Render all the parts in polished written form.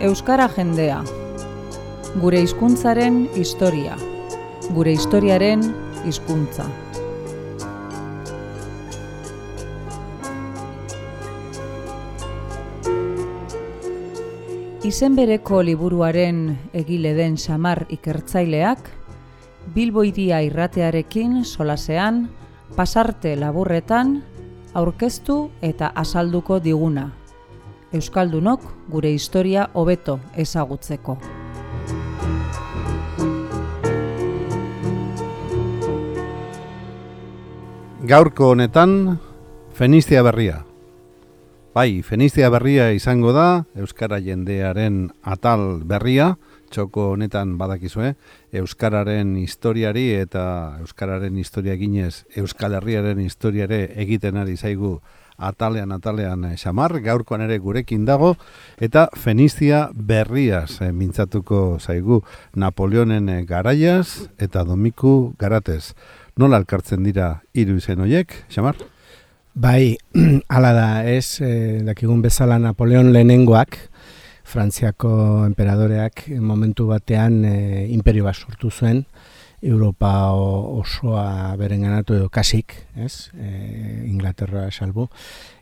Euskara jendea. Gure hizkuntzaren historia. Gure historiaren hizkuntza. Izen bereko liburuaren egile den Xamar ikertzaileak, Bilbo Hiria irratearekin solasean, pasarte laburretan, aurkeztu eta azalduko diguna. Euskaldunok gure historia hobeto ezagutzeko. Gaurko honetan, Fenizia berria. Bai, Fenizia berria izango da, Euskara jendearen atal berria, txoko honetan badakizue, Euskararen historiari eta Euskararen historia ginez, Euskal Herriaren historiare egiten ari zaigu atalean Xamar, gaurkoan ere gurekin dago, eta Fenizia berriaz mintzatuko zaigu Napoleonen garaiaz eta Domiku garatez. Nola elkartzen dira hiru izen horiek, Xamar? Bai, hala da, dakigun bezala Napoleon lehenengoak, Frantziako enperadoreak momentu batean imperio bat sortu zuen, Europa osoa berenganatu edo kasik, Inglaterra salbu,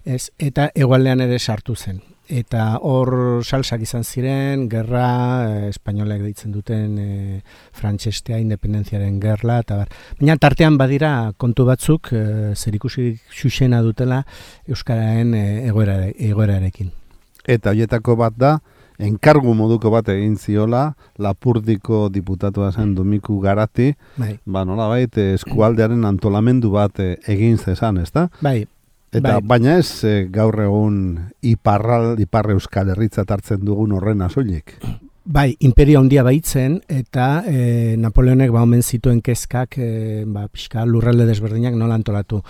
eta hegoaldean ere sartu zen. Eta hor salsak izan ziren, gerra, espainolek deitzen duten frantsestea, independenziaren gerla, eta bar. Baina tartean badira kontu batzuk, zerikusi xuxena dutela Euskararen egoerarekin. Eta horietako bat da, enkargu moduko bat egin ziola, Lapurdiko diputatua zen Domiku Garati, nolabait eskualdearen antolamendu bat egin zezan, ezta? Bai. Baina ez gaur egun ipar Euskal Herritzat hartzen dugun horren soilik. Bai, imperio handia baitzen eta Napoleonek omen zituen kezkak pixka lurralde desberdinak nola antolatu.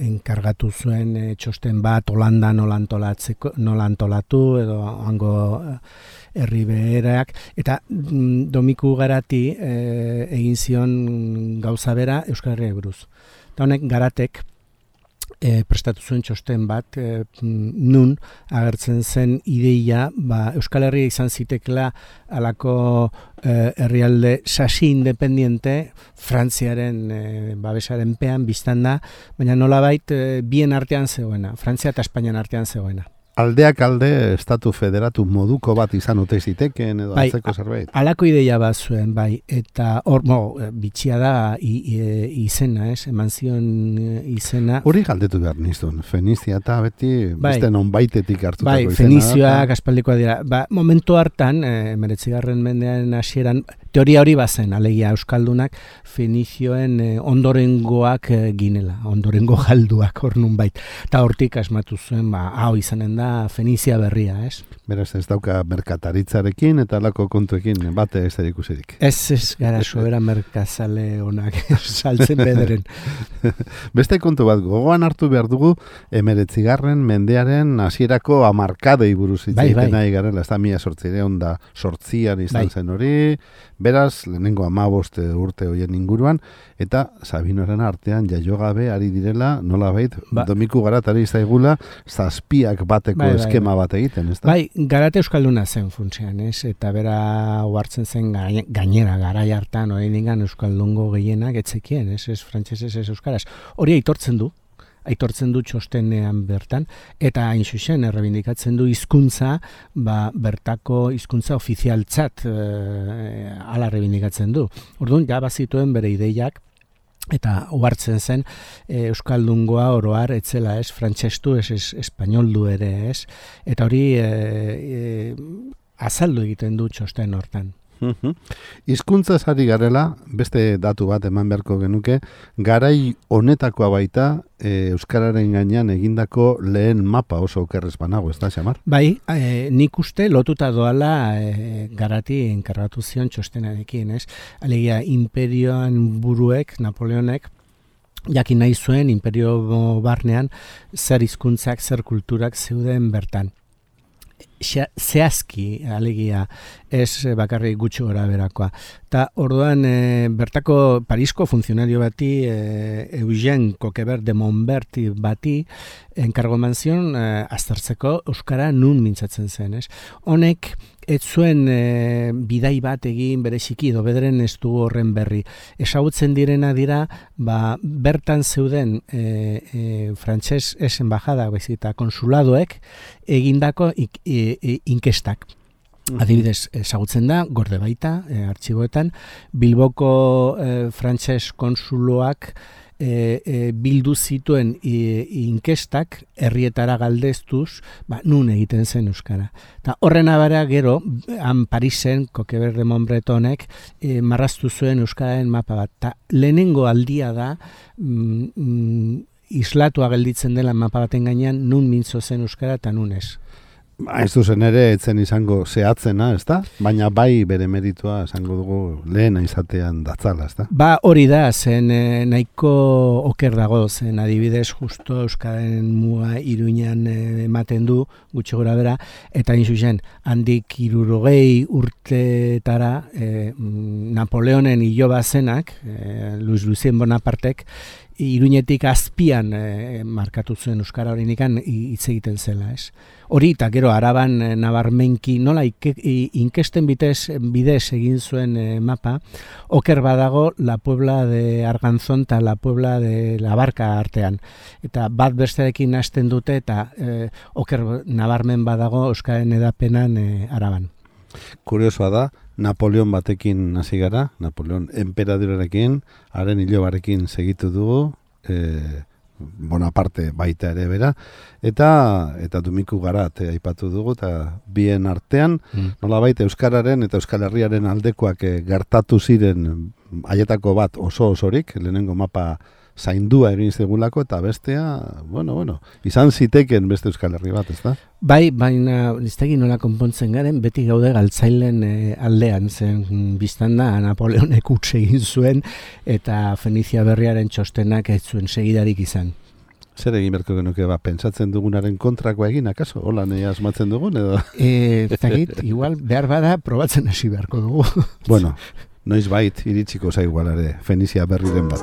Enkargatu zuen txosten bat Holanda nola antolatu edo hango herri beherak. Eta Domiku Garati egin zion gauza bera Euskal Herriari buruz. Eta honek Garatek prestatu zuen txosten bat, nun agertzen zen ideia, Euskal Herria izan zitekela alako herrialde sasi independiente, Frantziaren babesaren pean biztan da, baina nolabait bien artean zegoena, Frantzia eta Espainian artean zegoena. Aldeak alde estatu federatu moduko bat izan ote zitekeen edo antzeko zerbait? Alako ideia bat zuen, bai, eta hor, bitxia da izena, eman zion izena. Hori galdetu behar nizun, Fenizia eta beti beste nonbaitetik hartutako izena. Bai, Fenizioak aspaldikoa dira. Momentu hartan, 19. mendean hasieran, teoria hori bazen, alegia Euskaldunak, Fenizioen ondorengoak ginela, ondorengo galduak hor nunbait. Eta hortik asmatu zuen, hau izanen da, Fenizia berria, Beraz, ez dauka merkataritzarekin eta alako kontuekin bate ez erikusirik. Ez gara sobera merkazale honak saltzen bederen. Beste kontu bat, gogoan hartu behar dugu 19. mendearen hasierako hamarkadei buruz hitz egiten nahi garela, ez da 1808an izan zen hori, beraz, lehenengo 15 urte horien inguruan, eta Sabinoren artean jaiogabe ari direla, nolabait, Domiku Garatari zaigula, zazpiak bateko eskema bat egiten, ez da? Bai, Garate Euskalduna zen funtsean, eta bera uhartzen zen gainera, garai hartan, oraindikan Euskaldungo gehienak etzekien, ez frantsesez, ez euskaraz. Hori aitortzen du txostenean bertan, eta hain zuzen errebindikatzen du hizkuntza, bertako hizkuntza ofizialtzat ala errebindikatzen du. Orduan, ja bazituen bere ideiak, eta uhartzen zen Euskaldungoa oroar etzela, frantsestu, espainoldu ere, eta hori azaldu egiten du txosten hortan. Hizkuntza ari garela, beste datu bat eman beharko genuke, garai honetakoa baita Euskararen gainean egindako lehen mapa oso okerrez banago, ez da, Xamar? Bai, nik uste lotuta doala Garati enkargatu zion txostenarekin, Alegia, imperioan buruek, Napoleonek, jakin nahi zuen imperio barnean zer hizkuntzak, zer kulturak zeuden bertan. Zehazki, alegia, ez bakarrik gutxi gora berakoa. Eta orduan bertako Parisko funtzionario bati, Eugène Coquebert de Montbert bati, enkargo eman zion aztertzeko euskara nun mintzatzen zen, ez? Honek ez zuen bidai bat egin bereziki edo bederen ez du horren berri. Ezagutzen direna dira, bertan zeuden frantses ez embajada eta konsuladoek egindako inkestak. Adibidez, ezagutzen da, gorde baita, artxiboetan, Bilboko frantses konsuloak bildu zituen inkestak herrietara galdeztuz, nun egiten zen euskara. Ta horren abara gero, han Parisen, Coquebert de Montbretonek, marraztu zuen euskararen mapa bat. Ta lehenengo aldia da, islatua gelditzen dela mapa baten gainean, nun mintzo zen euskara eta nun ez. Ez duzen ere etzen izango zehatzena, ez da? Baina bai bere meritua esango dugu lehena izatean datzala, ez da? Hori da, zen nahiko oker dago, zen adibidez justo euskaren muga Iruñan ematen du, gutxi gora bera, eta zuzen, handik 60 urtetara Napoleonen iloba zenak, Luis Lucien Bonapartek, Iruñetik azpian markatu zuen euskara hori nikan hitz egiten zela, ez? Hori eta gero Araban nabarmenki nola inkesten bidez egin zuen mapa, oker badago La Puebla de Arganzón eta La Puebla de La Barca artean. Eta bat bestearekin hasten dute eta oker nabarmen badago euskaren edapenan Araban. Kuriosoa da, Napoleon batekin hasi gara, Napoleon enperadorearekin, haren ilobarekin segitu dugu, Bonaparte baita ere bera, eta Dumiku Garat aipatu dugu, eta bien artean, nolabait euskararen eta Euskal Herriaren aldekoak gertatu ziren haietako bat oso-osorik, lehenengo mapa zaindua egin zegulako, eta bestea, izan ziteken beste Euskal Herri bat, ez da? Bai, baina ez da nola konpontzen garen, beti gaude galtzailen aldean zen biztan da, Napoleonek utz egin zuen, eta Fenizia Berriaren txostenak ez zuen segidarik izan. Zer egin berko genuke, pentsatzen dugunaren kontrakoa egin, akaso? Hola, nahi asmatzen dugun, edo? Igual, behar bada, probatzen hasi beharko dugu. Noiz bait, iritsiko zaigualare, Fenizia Berriren bat.